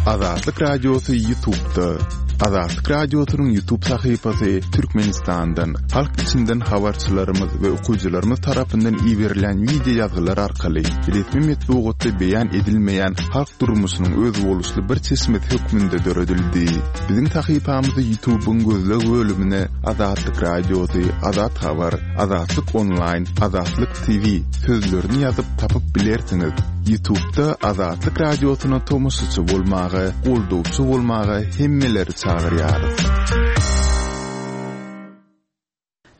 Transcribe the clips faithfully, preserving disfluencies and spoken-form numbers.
Azatlyk Radiosy YouTube'da. Azatlyk Radiosynyň YouTube sahypasy Türkmenistandan, halk içinden habarçylarymyz we okyjylarymyz tarapyndan iberilen wideo ýazgylar arkaly resmi metbugatda beýan edilmeýän halk durmuşynyň özboluşly bir çeşmesi hökmünde döredildi. Biziň sahypamyzy YouTube'yň gözleg bölümine Azatlyk Radiosy, Azat Habar, Azatlyk Online, Azatlyk T V sözlerini ýazyp tapyp bilersiňiz. YouTube'da Azatlyk Radiosyna tomaşaçy bolmaga, goldawçy bolmaga hemmeleri çagyrýarys.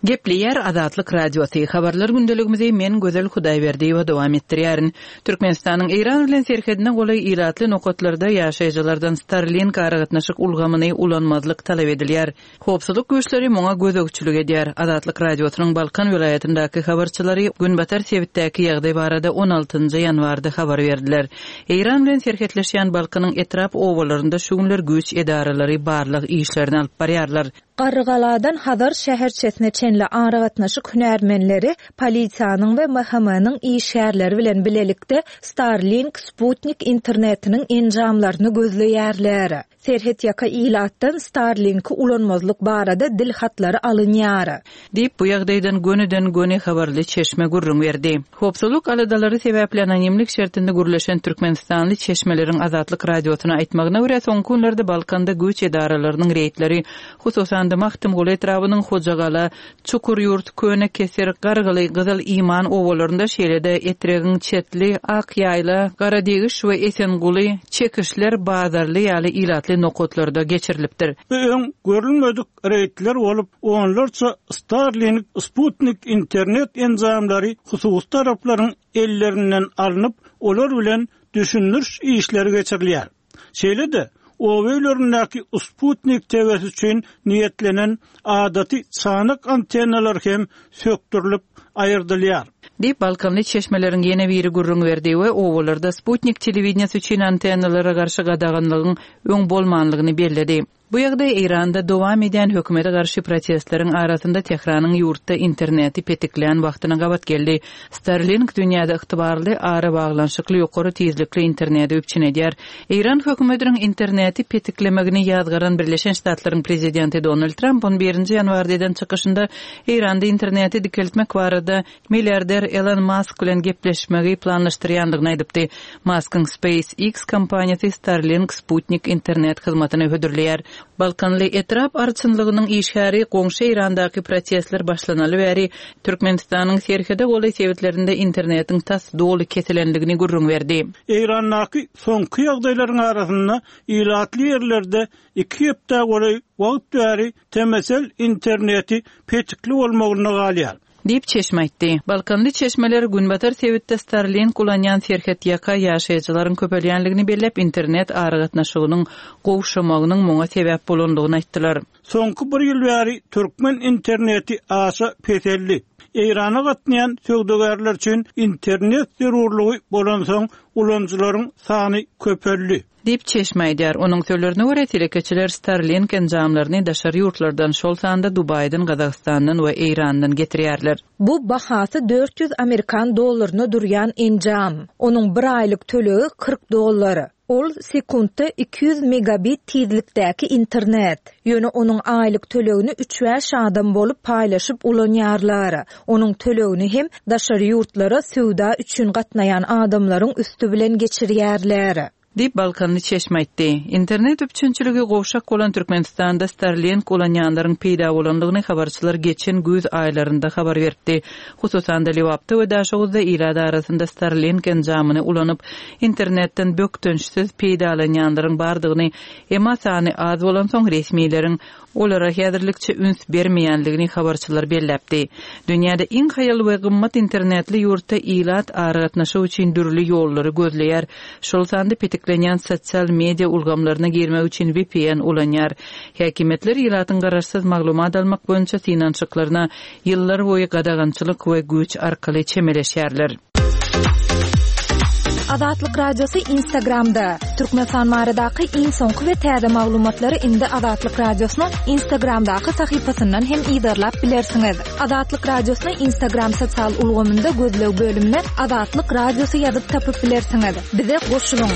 Gepleýär Azatlyk Radiosy. Habarlar gündeligimizi men Gözel Hudaýberdiýewa dowam etdirýärin. Türkmenistanyň Eýran bilen serhedine golaý ilatly nokatlarda ýaşaýjylardan Starlink aragatnaşyk ulgamyny ulanmazlyk talap edilýär. Howpsuzlyk güýçleri muňa gözegçilik edýär. Azatlyk Radiosynyň Balkan welaýatyndaky habarçylary Günbatar sebitdäki ýagdaý barada on altynjy ýanwarda habar berdiler. Eýran bilen serhetleşýän Balkanyň etrap obalarynda şu günler güýç edaralary barlyk işlerini alyp barýarlar. Garrygaladan Hazar şäherçesine çenli aragatnaşyk hünärmenleri polisiýanyň we M H M-niň işgärleri bilen bilelikde Starlink Sputnik internetiniň enjamlaryny gözleýärler. Serhet ýaka ilatdan Starlink'i ulanmazlyk barada dil hatlary alynýar. Diýip, bu ýagdaýdan gönüden göni habarly çeşme gürrüň berdi. Howpsuzlyk aladalary sebäpli anonimlik şertinde gürleşen Türkmenistanly çeşmeleriň Azatlyk Radiosyna aýtmagyna görä soňky günlerde Balkanda güýç edaralarynyň reýdleri, hususan-da Magtymguly etrabynyň Hojagala, Çukurýurt, Köne Keser, Gargyly, Gyzyl Iman obalarynda şeýle-de Etregiň Çetli, Akýaýla, Garadegiş we Esenguly, Çekişler, Bazarly ýaly ilatly nokatlarda geçirilipdir. Bu öň görülmedik reýdler bolup, onlarça Starlink, Sputnik internet enjamlary hususy taraplaryň ellerinden alnyp, olar bilen düşündiriş işleri geçirilýär. Şeýle-de, oba öýlerindäki Sputnik T V-si üçin niýetlenen adaty çanak antennalar hem sökdürilip aýyrdylýar. Diýip, Balkanly çeşmeleriň ýene biri gürrüň berdi we obalarda Sputnik telewideniýesi üçin antennalara garşy gadaganlygyň öň bolmanlygyny belledi. Bu ýagdaý Eýranda dowam edýän hökümete garşy protestleriň arasynda Tehranyň ýurtda interneti petiklän wagtyna gabat geldi. Starlink dünýäde ygtybarly ara baglanşykly ýokary tizlikli interneti üpjün edýär. Eýran hökümetiniň interneti petiklemegini ýazgaran Birleşen Ştatlaryň prezidenti Donald Trump on birinji ýanwarda eden çykyşynda Eýranda interneti dikeltmek barada milliarder Elon Musk bilen gepleşmegi planlaşdyrýandygyny aýdypdy. Muskyň SpaceX kompaniýasy Starlink Sputnik internet hyzmatyny hödürleýär. Balkanly etrap arçynlygynyň işgäri goňşy Eýrandaky protestler başlanaly bäri Türkmenistanyň serhede golaý sebitlerinde internetiň tas doly kesilenligini gürrüň berdi. Eýrandaky soňky ýagdaýlaryň arasynda ilatly ýerlerde iki hepde golaý wagt bäri T M S L interneti petikli bolmagyna galýar. Diýip çeşme aýtdy. Balkanly çeşmeler Günbatar sebitde Starlink ulanýan serhet ýaka ýaşaýjylaryň köpelýänligini belläp, internet aragatnaşygynyň gowşamagynyň muňa sebäp bolandygyny aýtdylar. Soňky bir ýyl bäri türkmen interneti aşa peseldi. Eýrana gatnaýan söwdagärler üçin internet zerurlygy bolansoň ulanyjylaryň sany köpeldi. Diýip çeşme aýdýar. Onuň sözlerine görä telekeçiler Starlink enjamlaryny daşary ýurtlardan, şol sanda Dubaýdan, Gazagystandan we Eýrandan getirýärler. Bu bahasy dört ýüz amerikan dollaryna durýan enjam. Onuň bir aýlyk tölegi kyrk dollar. Ol sekuntda iki ýüz megabit tizlikdäki internet. Ýöne onuň aýlyk tölegini üç bäş adam bolup paýlaşyp ulanýarlar. Onuň tölegini hem daşary ýurtlara söwda üçin gatnaýan adamlaryň üstü bilen geçirýärler. Diýip Balkanly çeşme aýtdy. Internet üpjünçiligi gowşak bolan Türkmenistanda Starlink ulanýanlaryň peýda bolandygyny habarçylar geçen güýz aýlarynda habar berdi. Hususan-da Lebapda we Daşoguzda ilat arasynda Starlink enjamyny ulanyp, internetden bökdençsiz peýdalanýanlaryň bardygyny, emma sany az bolansoň resmileriň olara häzirlikçe üns bermeýänligini habarçylar belläpdi. Dünýäde iň haýal we gymmat internetli ýurtda ilat aragatnaşyk üçin dürli ýollary gözleýär. Şol sanda petiklenýän sosial media ulgamlaryna girmek üçin V P N ulanýar. Häkimiýetler ilatyň garaşsyz maglumat almak boýunça synanyşyklaryna ýyllar boýy gadagançylyk we güýç arkaly çemeleşýärler. Azatlyk Radiosy Instagramda. Türkmenistan baradaky iň soňky we täze maglumatlary indi Azatlyk Radiosynyň Instagramdaky sahypasyndan hem yzarlap bilersiňiz. Azatlyk Radiosyny Instagram sosial ulgamynda gözleg bölümine Azatlyk Radiosy ýazyp tapyp bilersiňiz. Bize goşulyň.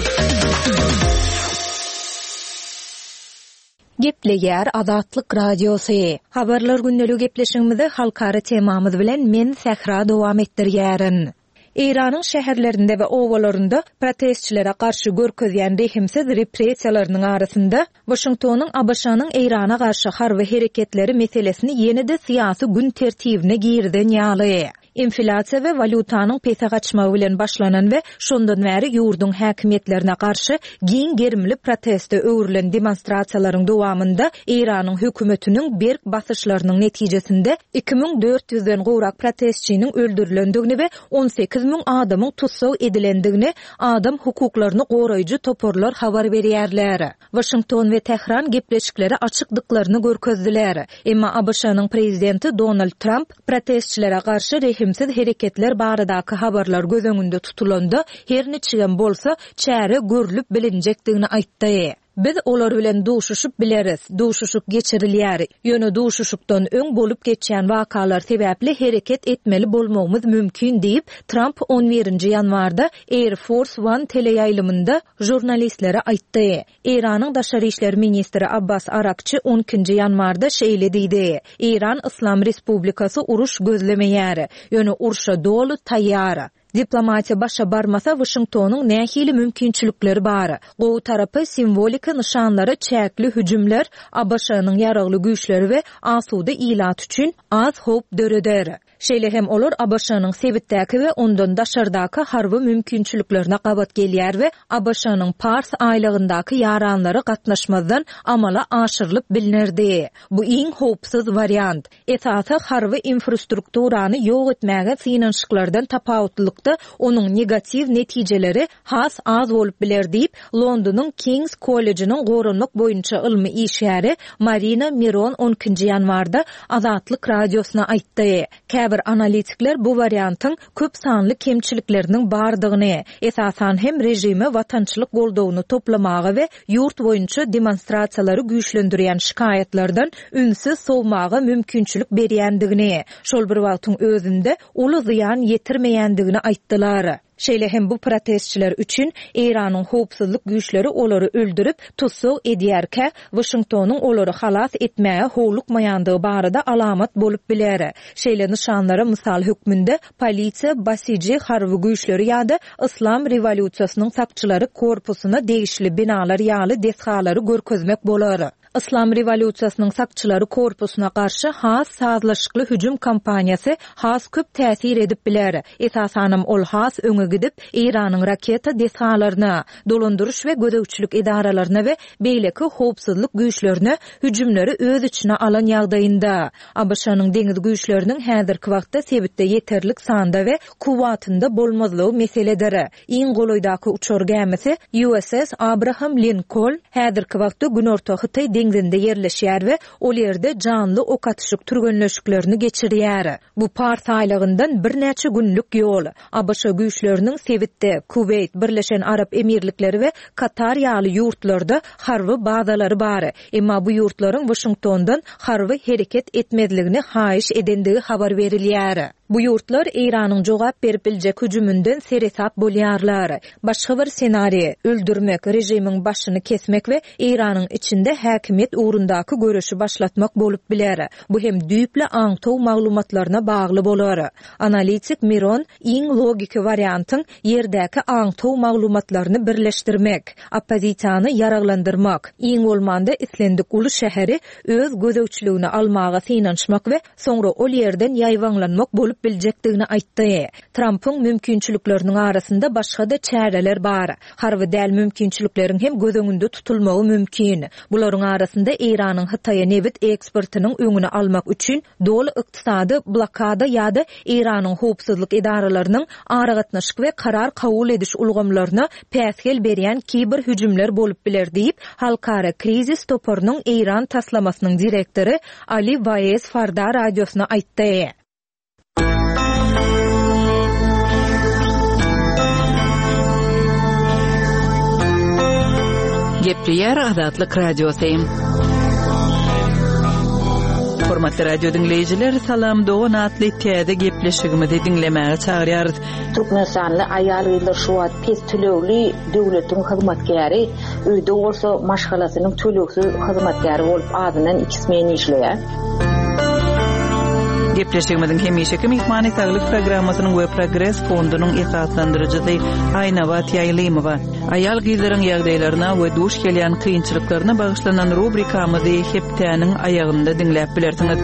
Gepleýär Azatlyk Radiosy. Habarlar gündeligi gepleşigimizi halkara temamyz bilen men Sähra dowam etdirýärin. Eýranyň şäherlerinde we obalarynda protestçilere garşy görkezýän rehimsiz repressiýalarynyň arasynda Waşingtonyň ABŞ-nyň Eýrana garşy harby hereketleri meselesini ýene-de syýasy gün tertibine girizen ýaly. Inflýasiýa we walýutanyň pese gaçmagy bilen başlanan we şondan bäri ýurduň häkimiýetlerine garşy giň gerimli proteste öwrülen demonstrasiýalaryň dowamynda Eýranyň hökümetiniň berk basyşlarynyň netijesinde iki müň dört ýüzden gowrak protestçiniň öldürilendigini we on sekiz müň adamyň tussag edilendigini adam hukuklaryny goraýjy toparlar habar berýärler. Waşington we Tähran gepleşiklere açykdyklaryny görkezdiler. Emma ABŞ-nyň prezidenti Donald Tramp protestçilere garşy rehimsiz hereketler baradaky habarlar göz öňünde tutulanda her niçigem bolsa çäre görülip bilinjekdigini aýtdy. Biz olar bilen duşuşyp bileris, duşuşyk geçirilýär. Ýöne duşuşykdan öň bolup geçýän wakalar sebäpli hereket etmeli bolmagymyz mümkin diýip, Tramp on birinji ýanwarda Air Force One teleýaýlymynda žurnalistlere aýtdy. Eýranyň daşary işler ministri Abbas Arakçy on ikinji ýanwarda şeýle diýdi. Eýran Yslam Respublikasy uruş gözlemeýär, ýöne urşa doly taýýar. Diplomatiýa başa barmasa Waşingtonyň nähili mümkinçilikleri bar? Gowy tarapy simwoliki nyşanlara çäkli hüjümler ABŞ-nyň ýaragly güýçleri we asuda ilat üçin az howp döreder. Şeýle hem olar ABŞ-nyň sebitdäki we ondan daşardaky harby mümkinçiliklerine gabat gelýär we ABŞ-nyň Pars aýlagyndaky ýaranlary gatnaşmazdan amala aşyrylyp bilinerdi. Bu iň howpsuz wariant. Esasy harby infrastrukturany ýok etmäge synanyşyklardan tapawutlykda onuň negatiw netijeleri has az bolup biler diýip, Londonyň King's College'iniň goranmak boýunça ylmy işgäri Marina Miron on ikinji ýanwarda Azatlyk radiosyna aýtdy. Käbir analitikler bu wariantyň köp sanly kemçilikleriniň bardygyny, esasan hem režime watançylyk goldawyny toplamaga we ýurt boýunça demonstrasiýalary güýçlendirýän şikaýatlardan ünsi sowmaga mümkinçilik berýändigini, şol bir wagtyň özünde uly zyýan ýetirmeýändigini aýtdylar. Şeýle hem bu protestçiler üçin Eýranyň howpsuzlyk güýçleri olary öldürip, tussag edýärkä, Waşingtonyň olary halas etmäge howlukmaýandygy barada alamat bolup biler. Şeýle nyşanlara mysal hökmünde polisiýa, basiji harby güýçleri ýa-da Yslam rewolýusiýasynyň sakçylary korpusyna degişli binalar ýaly desgalary görkezmek bolar. Yslam rewolýusiýasynyň sakçylary korpusyna garşy has sazlaşykly hüjüm kampaniýasy has köp täsir edip biler. Esasanam ol has öňe gidip, Eýranyň raketa desgalaryna, dolandyryş we gözegçilik edaralaryna we beýleki howpsuzlyk güýçlerine hüjümleri öz içine alan ýagdaýynda. ABŞ-nyň deňiz güýçleriniň häzirki wagtda sebitde ýeterlik sanda we kuwwatynda bolmazlygy meseledir. Iň golaýdaky uçar gämisi U S S Abraham Lincoln häzirki wagtda Günorta Hytaý deňzinde ýerleşýär we ol ýerde janly ok atyşyk türgenleşiklerini geçirýär. Bu Pars aýlagyndan birnäçe günlük ýol. ABŞ güýçleriniň sebitde Kuweýt, Birleşen Arap Emirlikleri we Katar ýaly ýurtlarda harby bazalary bar. Emma bu ýurtlaryň Waşingtondan harby hereket etmezligini haýyş edendigi habar berilýär. Bu ýurtlar Eýranyň jogap berip biljek hüjüminden seresap bolýarlar. Başga bir senariý, öldürmek, režimiň başyny kesmek we Eýranyň içinde häkimiýet ugrundaky göreşi başlatmak bolup biler. Bu hem düýpli aňtaw maglumatlaryna bagly bolar. Analitik Miron iň logiki wariantyň ýerdäki aňtaw maglumatlaryny birleşdirmek, oppozisiýany ýaraglandyrmak, iň bolmanda islendik uly şäheri öz gözegçiligine almaga synanyşmak we soňra ol ýerden ýaýbaňlanmak bolup biljekdigini aýtdy. Trumpyň mümkinçilikleriniň arasynda başga-da çäreler bar. Harby däl mümkinçilikleriň hem göz öňünde tutulmagy mümkin. Bularyň arasynda Eýranyň Hytaýa nebit eksportynyň öňüni almak üçin doly ykdysady blokada ýa-da Eýranyň howpsuzlyk edaralarynyň aragatnaşyk we karar kabul ediş ulgamlaryna päsgel berýän kiber hüjümler bolup biler diýip, Halkara krizis toparynyň Eýran taslamasynyň direktory Ali Waez Farda radiosyna aýtdy. Gepleýär Azatlyk Radiosy. Hormatly radio diňleýjiler, Salam Dogan atly täze gepleşigimizi diňlemäge çagyrýarys. Türkmenistanly aýal-gyzlar şu wagt pes tölegli döwletiň hyzmatkäri, öýde bolsa maşgalasynyň tölegsiz hyzmatkäri bolup azyndan iki smen işleýär. Gepleşigimiziň hemişeki myhmany saglyk programmasynyň we Progres fondunyň esaslandyryjysy Aýnabat Ýaýlymowa. Aýal gyzlaryň ýagdaýlaryna we duş gelýän kynçylyklaryna bagyşlanan rubrikamyzy hepdäniň aýagynda diňläp bilersiňiz.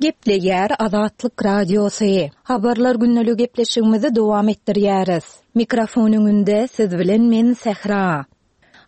Gepleýär Azatlyk Radiosy. Habarlar günlük gepleşigimizi dowam etdirýäris. Mikrofon öňünde siz bilen men Sehra.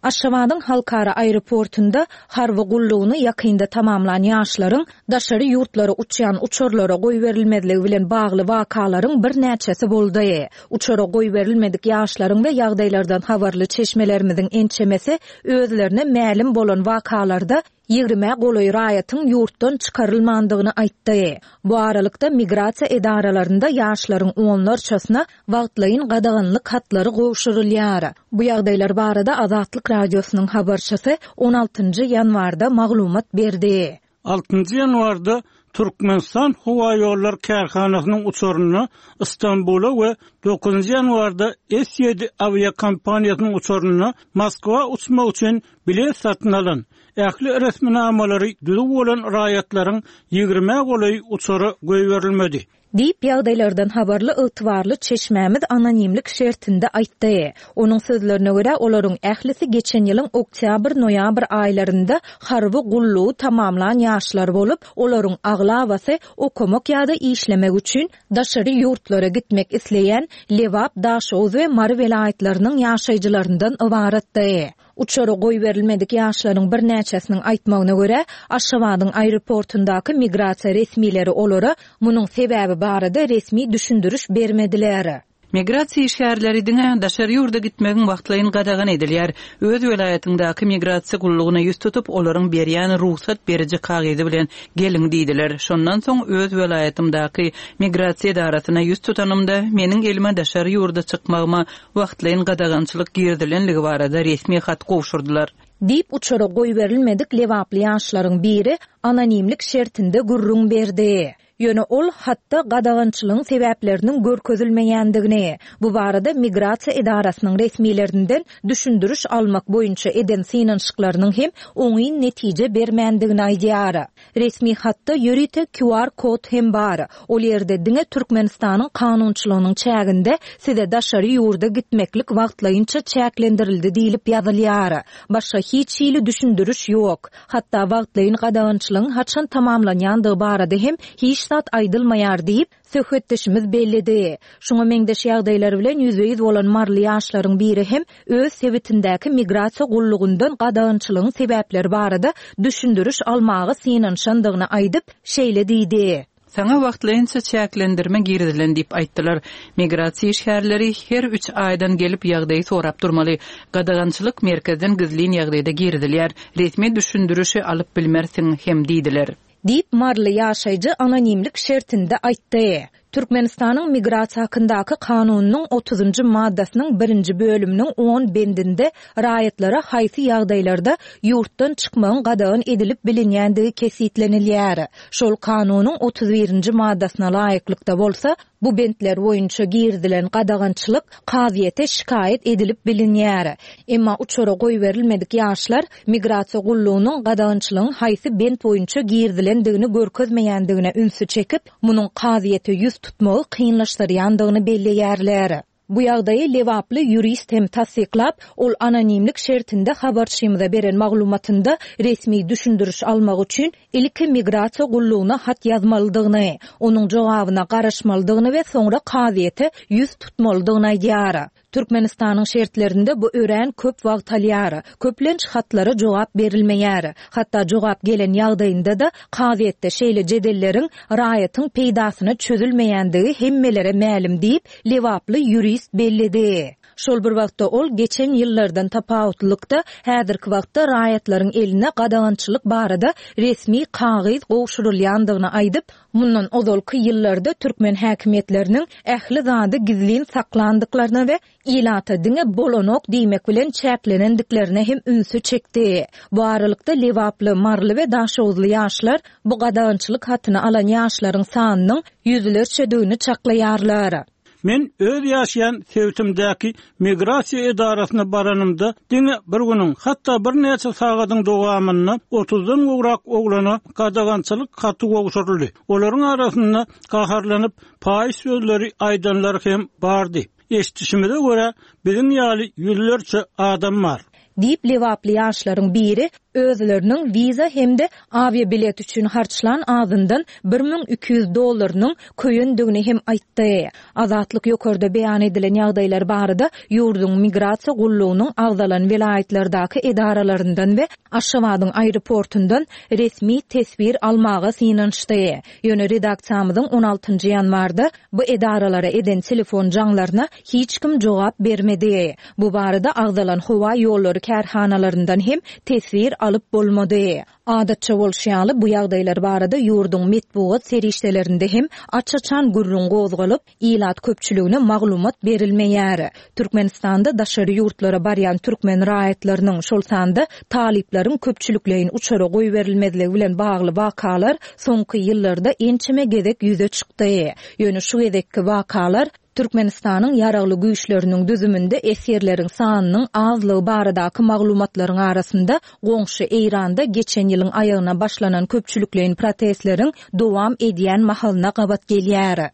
Aşgabadyň halkara aeroportunda harby gullugyny ýakynda tamamlan ýaşlaryň daşary ýurtlara uçýan uçarlara goýberilmezligi bilen bagly wakalaryň birnäçesi boldy. Uçara goýberilmedik ýaşlaryň we ýagdaýlardan habarly çeşmelerimiziň ençemesi özlerine mälim bolan wakalarda ýigrime golaý raýatyň ýurtdan çykarylmandygyny aýtdy. Bu aralykda migrasiýa edaralarynda ýaşlaryň onlarçasyna wagtlaýyn gadaganlyk hatlary gowşurylýar. Bu ýagdaýlar barada Azatlyk Radiosynyň habarçysy on altynjy ýanwarda maglumat berdi. Altynjy ýanwarda Türkmenistan Howa Ýollar kärhanasynyň uçaryna Istanbula we dokuzynjy ýanwarda S ýedi awiakompaniýasynyň uçaryna Moskwa uçmak üçin bilet satyn alan ähli resminamalary düzüw bolan raýatlaryň ýigrime golaý uçara goýberilmedi. Diýip ýagdaýlardan habarly ygtybarly çeşmämiz anonimlik şertinde aýtdy. Onuň sözlerine görä olaryň ählisi geçen ýylyň oktýabr-noýabr aýlarynda harby gullugy tamamlan ýaşlar bolup, olaryň aglabasy okamak ýa-da işlemek üçin daşary ýurtlara gitmek isleýän Lebap, Daşoguz we Mary welaýatlarynyň ýaşaýjylaryndan ybaratdy. Uçara goýberilmedik ýaşlaryň birnäçesiniň aýtmagyna görä, Aşgabadyň aeroportundaky migrasiýa resmileri olara munuň sebäbi barada resmi düşündiriş bermediler. Migrasiýa işgärleri diňe daşary ýurda gitmegiň wagtlaýyn gadagan edilýär. Öz welaýatyňdaky migrasiýa gullugyna ýüz tutup, olaryň berýän rugsat beriji kagyzy bilen geliň diýdiler. Şondan soň öz welaýatymdaky migrasiýa edarasyna ýüz tutanymda meniň elime daşary ýurda çykmagyma wagtlaýyn gadagançylyk girizilenligi barada resmi hat gowşurdylar. Diýip uçara goýberilmedik Lebaply ýaşlaryň biri anonimlik şertinde gürrüň berdi. Ýöne ol hatda gadagançylygyň sebäpleriniň görkezilmeýändigini, bu barada migrasiýa edarasynyň resmilerinden düşündiriş almak boýunça eden synanyşyklarynyň hem oňyn netije bermändigini aýdýar. Resmi hatda ýörite Q R kod hem bar. Ol ýerde diňe Türkmenistanyň kanunçylygynyň çäginde size daşary ýurda gitmeklik wagtlaýynça çäklendirildi diýlip ýazylýar. Başga hiç hili düşündiriş ýok. Hatda wagtlaýyn gadagançylygyň haçan tamamlanýandygy barada hem hiç zat aýdylmaýar diýip söhbetdeşimiz belledi. Şoňa meňzeş ýagdaýlar bilen ýüzbe-ýüz bolan Marly ýaşlaryň biri hem öz sebitindäki migrasiýa gullugyndan gadagançylygyň sebäpleri barada düşündiriş almaga synanyşandygyny aýdyp, şeýle diýdi. Saňa wagtlaýynça çäklendirme girizilen diýip aýtdylar. Migrasiýa işgärleri her üç aýdan gelip ýagdaýy sorap durmaly. Gadagançylyk merkezden gizlin ýagdaýda girizilýär. Resmi düşündirişi alyp bilmersiň hem diýdiler. Diýip Marly ýaşaýjy anonimlik şertinde aýtdy. Türkmenistanyň migrasiýa hakyndaky kanunynyň otuzynjy maddasynyň birinji bölüminiň on bendinde raýatlara haýsy ýagdaýlarda ýurtdan çykmagyň gadagan edilip bilinýändigi kesgitlenilýär. Şol kanunyň otuz birinji maddasyna laýyklykda bolsa, bu bentler boýunça girizilen gadagançylyk kazyýete şikaýat edilip bilinýär. Emma uçara goýberilmedik ýaşlar migrasiýa gullugynyň gadagançylygyň haýsy bent boýunça girizilendigini görkezmeýändigine ünsi çekip, munuň kazyýete ýüz tutmagy kynlaşdyrýandygyny belleýärler. Bu ýagdaýy Lebaply ýurist hem tassyklap, ol anonimlik şertinde habarçymyza beren maglumatynda resmi düşündiriş almak üçin ilki migrasiýa gullugyna hat ýazmalydygyny, onuň jogabyna garaşmalydygyny we soňra kazyýete ýüz tutmalydygyny aýdýar. Türkmenistanyň şertlerinde bu örän köp wagt alýar. Köplenç hatlara jogap berilmeýär. Hatda jogap gelen ýagdaýynda da kazyýetde şeýle jedelleriň raýatyň peýdasyna çözülmeýändigi hemmelere mälim diýip, Lebaply ýurist belledi. Şol bir wagtda ol geçen ýyllardan tapawutlylykda häzirki wagtda raýatlaryň eline gadagançylyk barada resmi kagyz gowşurylýandygyny aýdyp, mundan ozalky ýyllarda türkmen häkimiýetleriniň ähli zady gizlin saklandyklaryna we ilata diňe bolanok diýmek bilen çäklenendiklerine hem ünsi çekdi. Bu aralykda Lebaply, Marly we Daşoguzly ýaşlar bu gadagançylyk hatyny alan ýaşlaryň sanynyň ýüzlerçedigini çaklaýarlar. Men öz ýaşaýan sebitimdäki migrasiýa edarasyna baranymda diňe bir günüň, hatda birnäçe sagadyň dowamynda otuzdan gowrak oglana gadagançylyk haty gowşuryldy. Olaryň arasynda gaharlanyp paýyş sözleri aýdanlar hem bardy. Eşitişimize görä, biziň ýaly ýüzlerçe adam bar. Diýip Lebaply ýaşlaryň biri özleriniň wiza hem-de awiabilet üçin harçlan azyndan bir müň iki ýüz dollarynyň köýendigini hem aýtdy. Azatlyk ýokarda beýan edilen ýagdaýlar barada ýurduň migrasiýa gullugynyň agzalan welaýatlardaky edaralaryndan we Aşgabadyň aeroportundan resmi teswir almaga synanyşdy. Ýöne redaksiýamyzyň on altynjy ýanwarda bu edaralara eden telefon jaňlaryna hiç kim jogap bermedi. Bu barada agzalan howa ýollary kärhanalaryndan hem teswir alyp bolmady. Adatça bolşy ýaly bu ýagdaýlar barada ýurduň metbugat serişdelerinde hem aç-açan gürrüň gozgalyp, ilat köpçüligine maglumat berilmeýär. Türkmenistanda daşary ýurtlara barýan türkmen raýatlarynyň, şol sanda talyplaryň köpçülikleýin uçara goýberilmezligi bilen bagly wakalar soňky ýyllarda ençeme gezek ýüze çykdy. Ýöne şu gezekki wakalar Türkmenistanyň ýaragly güýçleriniň düzüminde esgerleriň sanynyň azlygy baradaky maglumatlaryň arasynda goňşy Eýranda geçen ýylyň aýagyna başlanan köpçülikleýin protestleriň dowam edýän mahalyna gabat gelýär.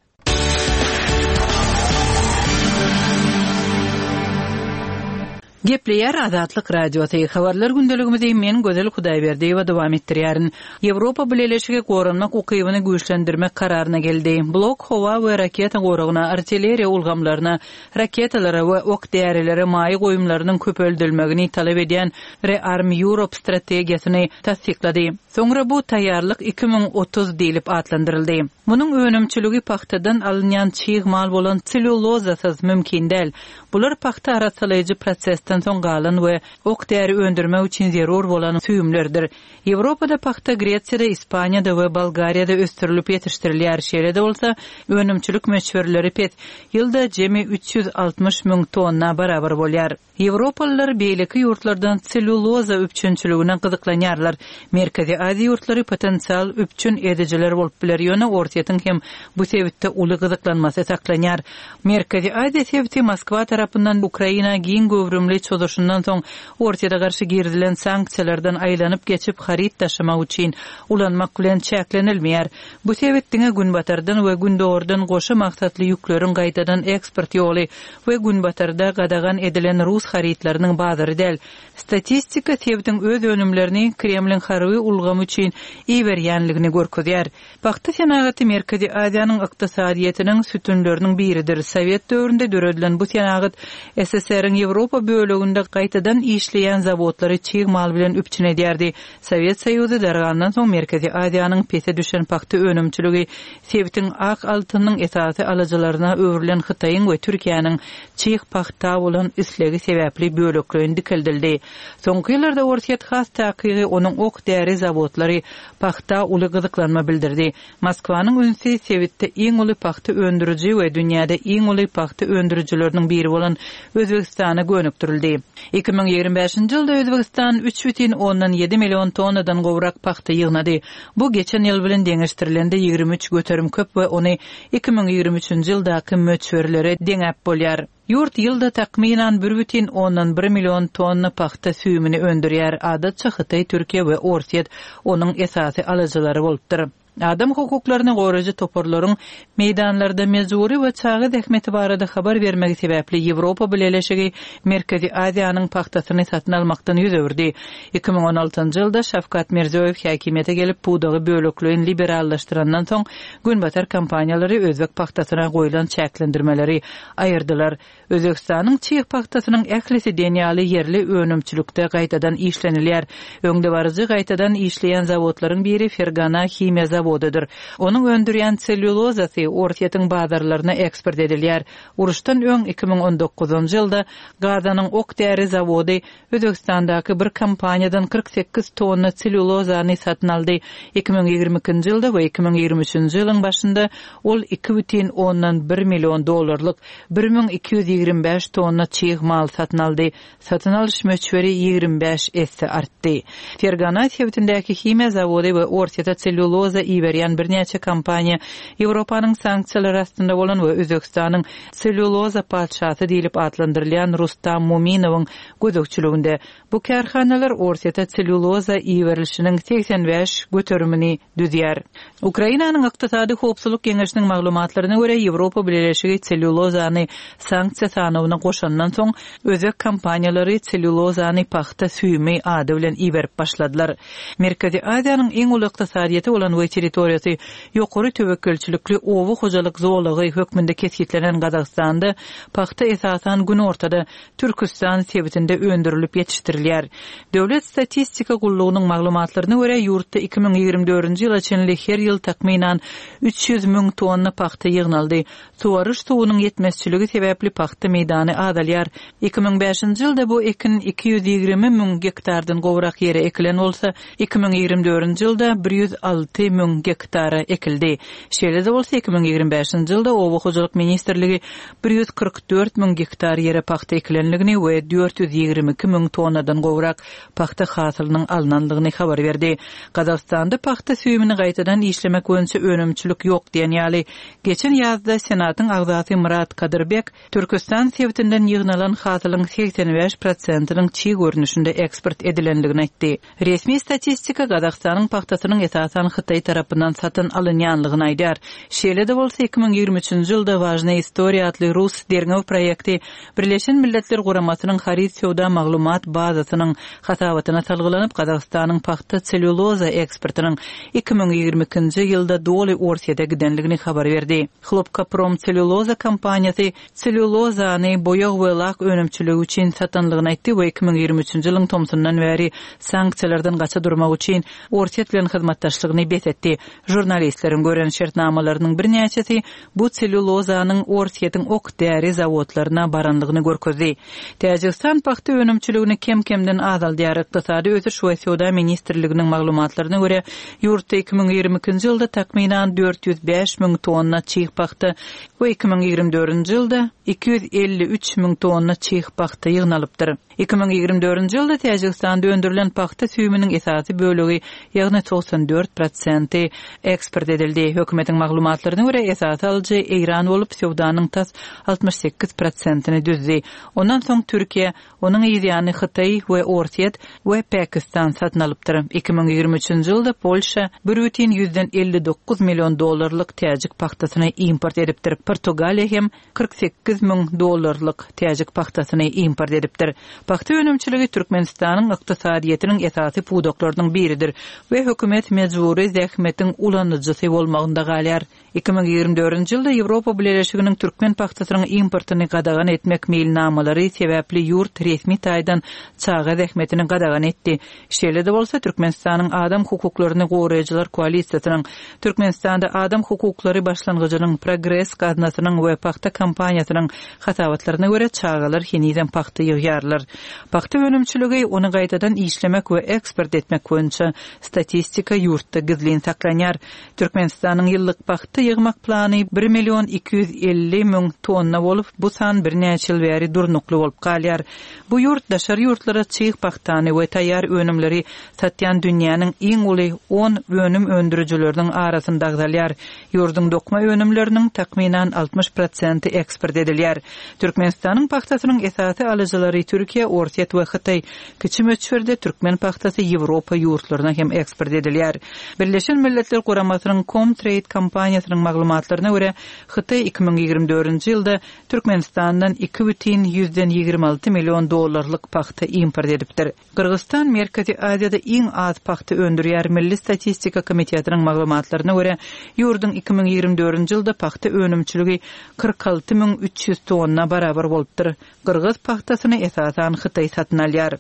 Gepleýär Azatlyk Radiosy. Habarlar gündeligimizi men Gözel Hudaýberdiýewa dowam etdirýärin. Ýewropa Bileleşigi goranmak ukybyny güýçlendirmek kararyna geldi. Blok howa we raketa goragyna, artilleriýa ulgamlaryna, raketalara we ok därilere maýa goýumlarynyň köpeldilmegini talap edýän Rearm Europe strategiýasyny tassyklady. Soňra bu taýýarlyk iki müň otuz diýlip atlandyryldy. Munuň önümçiligi pagtadan alynýan çig mal bolan selýulozasyz mümkin däl. Bular pagta arassalaýjy prosesden soň galan we ok däri öndürmek üçin zerur bolan süýümlerdir. Ýewropada pagta Gresiýada, Ispaniýada we Bolgariýada ösdürilip ýetişdirilýär. Şeýle-de bolsa, önümçilik möçberleri pes, ýylda jemi üç ýüz altmyş müň tonna barabar bolýar. Ýewropalylar beýleki ýurtlardan selýuloza üpjünçiligine gyzyklanýarlar. Merkezi Aziýa ýurtlary potensial üpjün edijiler bolup biler, ýöne Orsýetiň hem bu sebitde uly gyzyklanmasy saklanýar. Merkezi Aziýa sebiti Moskwa tarapyndan Ukraina giň göwrümli çozuşyndan soň Orsýete garşy girizilen sanksiýalardan aýlanyp geçip haryt daşamak üçin ulanmak bilen çäklenilmeýär. Bu sebit diňe günbatardan we gündogardan goşa maksatly ýükleriň gaýtadan eksport ýoly we günbatarda gadagan edilen rus harytlarynyň bazary däl. Statistika sebitiň öz önümlerini Kremliň harby ulgamy üçin iberýänligini görkezýär. Pagta senagaty Merkezi Aziýanyň ykdysadyýetiniň sütünleriniň biridir. Sowet döwründe döredilen bu senagat S S R-iň Ýewropa böleginde gaýtadan işleýän zawodlary çig mal bilen üpjün edýärdi. Sowet Soýuzy dargandan soň Merkezi Aziýanyň pese düşen pagta önümçiligi sebitiň ak altynyň esasy alyjylaryna öwrülen Hytaýyň we Türkiýäniň çig pagta bolan islegi sebäpli bölekleýin dikeldildi. Soňky ýyllarda Orsýet has takygy onuň ok däri zawodlary pagta uly gyzyklanma bildirdi. Moskwanyň ünsi sebitde iň uly pagta öndüriji we dünýäde iň uly pagta öndürijileriniň biri bolan Özbegistana gönükdirildi. iki müň ýigrimi bäşinji ýylda Özbegistan üç bütin ondan ýedi million tonnadan gowrak pagta ýygnady. Bu geçen ýyl bilen deňeşdirilende ýigrimi üç göterim köp we ony iki müň ýigrimi üçünji ýyldaky möçberlere deňäp bolýar. Ýurt ýylda takmynan bir bütin ondan bir million tonna pagta süýümini öndürýär. Adatça Hytaý, Türkiýe we Orsýet onuň esasy alyjylary bolupdyr. Adam hukuklaryny goraýjy toparlaryň meýdanlarda mejbury we çaga zähmeti barada habar bermegi sebäpli Ýewropa Bileleşigi Merkezi Aziýanyň pagtasyny satyn almakdan ýüz öwürdi. iki müň on altynjy ýylda Şawkat Mirziýoýew häkimiýete gelip pudagy bölekleýin liberallaşdyrandan soň Günbatar kompaniýalary özbek pagtasyna goýlan çäklendirmeleri aýyrdylar. Özbegistanyň çig pagtasynyň ählisi diýen ýaly ýerli önümçilikde gaýtadan işlenilýär. Öňdebaryjy gaýtadan işleýän zawodlaryň biri Fergana himiýa zawody zawodydyr. Onuň öndürýän sellýulozasy Orsýetiň bazarlaryna eksport edilýär. Uruşdan öň iki müň on dokuzynjy ýylda Gazanyň ok-däri zawody Özbegistandaky bir kompaniýadan kyrk sekiz tonna sellýulozany satyn aldy. Iki müň ýigrimi ikinji ýylda we iki müň ýigrimi üçünji ýylyň başynda ol iki bütin ondan bir million dollarlyk bir müň iki ýüz ýigrimi bäş tonna çig mal satyn aldy. Satyn alyş möçberi ýigrimi bäş esse artdy. Fergana sebitindäki himiýa zawody we Orsýete sellýuloza iberýän birnäçe kompaniýa Ýewropanyň sanksiýalary astynda bolan we Özbegistanyň sellýuloza patyşasy diýlip atlandyrylýan Rustam Muminowyň gözegçiliginde. Bu kärhanalar Orsýete sellýuloza iberilişiniň segsen bäş göterimini düzýär. Ukrainanyň Ykdysady Howpsuzlyk Geňeşiniň maglumatlaryna görä, Ýewropa Bileleşigi sellýulozany sanksiýa sanawyna goşandan soň, özbek kompaniýalary sellýulozany pagta süýümi ady bilen iberip başladylar. Merkezi Aziýanyň iň uly ykdysadyýeti bolan we territoriýasy ýokary töwekgelçilikli oba hojalyk zolagy hökmünde kesgitlenen Gazagystanda pagta esasan günortada Türküstan sebitinde öndürilip ýetişdirilýär. Döwlet statistika gullugynyň maglumatlaryna görä, ýurtda iki müň ýigrimi dördünji ýyla çenli her ýyl takmynan üç ýüz müň tonna pagta ýygnaldy. Suwaryş suwunyň ýetmezçiligi sebäpli pagta meýdany azalýar. Iki müň bäşinji ýylda bu ekin iki ýüz ýigrimi müň gektardan gowrak ýere ekilen bolsa, iki müň ýigrimi dördünji ýylda bir ýüz alty müň gektara ekildi. Şeýle-de bolsa, iki müň ýigrimi bäşinji ýylda Oba hojalyk ministrligi bir ýüz kyrk dört müň gektar ýere pagta ekilenligini we dört ýüz ýigrimi iki müň tonnadan gowrak pagta hasylynyň alnandygyny habar berdi. Gazagystanda pagta süýümini gaýtadan işlemek boýunça önümçilik ýok diýen ýaly, geçen ýazda Senatyň agzasy Myrat Kadyrbek Türküstan sebitinden ýygnalan hasylyň segsen bäş prosentiniň çig görnüşinde eksport edilendigini aýtdy. Resmi statistika Gazagystanyň pagtasynyň esasan Hytaý tarapyndan satyn alynýanlygyny aýdar. Şeýle-de bolsa iki müň ýigrimi üçünji ýylda Важная история atly rus derňew proýekti Birleşen Milletler Guramasynyň haryt söwda maglumat bazasynyň hasabatyna salgylanyp, Gazagystanyň pagta sellýuloza eksportynyň iki müň ýigrimi ikinji ýylda doly Orsýete gidenligini habar berdi. Hlopkaprom sellýuloza kompaniýasy sellýulozany boýag we lak önümçiligi üçin satanlygyny aýtdy we iki müň ýigrimi üçünji ýylyň tomsundan bäri sanksiýalardan gaça durmak üçin Orsýet bilen hyzmatdaşlygyny bes etdi. Žurnalistleriň gören şertnamalarynyň birnäçesi bu sellýulozanyň Orsýetiň ok-däri zawodlaryna baranlygyny görkezdi. Täjigistan pagta önümçiligini kem-kemden azaldýar. Ykdysady ösüş we söwda ministrliginiň maglumatlaryna görä, ýurtda iki müň ýigrimi ikinji ýylda takmynan dört ýüz bäş müň tonna çig pagta we iki müň ýigrimi dördünji ýylda iki ýüz elli üç müň tonna çig pagta ýygnalypdyr. Iki müň ýigrimi dördünji ýylda Täjigistanda öndürilen pagta süýüminiň esasy bölegi, ýagny togsan dört prosenti eksport edildi. Hökümetiň maglumatlaryna görä, esasy alyjy Eýran bolup, söwdanyň tas altmyş sekiz prosentini düzdi. Ondan soň Türkiýe, onuň yzýany Hytaý we Orsýet we Pakistan satyn alypdyr. Iki müň ýigrimi üçünji ýylda Polşa bir bütin ýüzden elli dokuz million dollarlyk täjik pagtasyny import edipdir. Portugaliýa hem kyrk sekiz müň dollarlyk täjik pagtasyny import edipdir. Pagta önümçiligi Türkmenistanyň ykdysadyýetiniň esasy pudaklarynyň biridir we hökümet mejbury zähmetiň ulanyjysy bolmagynda galýar. Iki müň ýigrimi dördünji ýylda Ýewropa Bileleşiginiň türkmen pagtasynyň importyny gadagan etmek meýilnamalary sebäpli ýurt resmi taýdan çaga zähmetini gadagan etdi. Şeýle-de bolsa, Türkmenistanyň Adam hukuklaryny goraýjylar koalisiýasynyň, Türkmenistanda Adam hukuklary başlangyjynyň, Progres gaznasynyň we pagta kompaniýasynyň hasabatlaryna görä çagalar henizem pagta ýygýarlar. Pagta önümçiligi ony gaýtadan işlemek we eksport etmek boýunça statistika ýurtda gizlin saklanýar. Türkmenistanyň ýyllyk pagta ýygmak plany bir million iki ýüz elli müň tonna bolup, bu san birnäçe ýyl bäri durnukly bolup galýar. Bu ýurt daşary ýurtlara çig pagtany we taýýar önümleri satýan dünýäniň iň uly on önüm öndürijileriniň arasynda agzalýar. Ýurduň dokma önümleriniň takmynan altmyş prosenti eksport edilýär. Türkmenistanyň pagtasynyň esasy alyjylary Türkiýe, Orsýet we Hytaý. Kiçi möçberde türkmen pagtasy Ýewropa ýurtlaryna hem eksport edilýär. Birleşen Milletler Guramasynyň Comtrade kompaniýasynyň maglumatlaryna görä, Hytaý iki müň ýigrimi dördünji ýylda Türkmenistandan iki bütin ýüzden ýigrimi alty million dollarlyk pagta import edipdir. Gyrgyzstan Merkezi Aziýada iň az pagta öndürýär. Milli statistika komitetiniň maglumatlaryna görä, ýurduň iki müň ýigrimi dördünji ýylda pagta önümçiligi kyrk alty müň üç ýüz tonna barabar bolupdyr. Gyrgyz pagtasyny esasan Hytaý satyn alýar.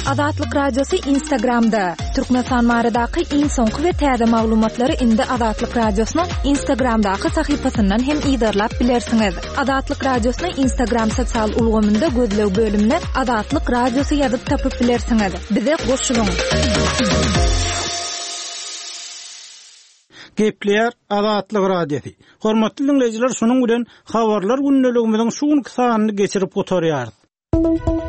Azatlyk Radiosy Instagramda. Türkmenistan baradaky iň soňky we täze maglumatlary indi Azatlyk Radiosynyň Instagramdaky sahypasyndan hem yzarlap bilersiňiz. Azatlyk Radiosyny Instagram sosial ulgamynda gözleg bölümine Azatlyk Radiosy ýazyp tapyp bilersiňiz. Bize goşulyň. Gepleýär Azatlyk Radiosy. Hormatly dinleýjiler, şunuň bilen habarlar gündeligimiziň şu günki sanyny geçirip gutarýarys.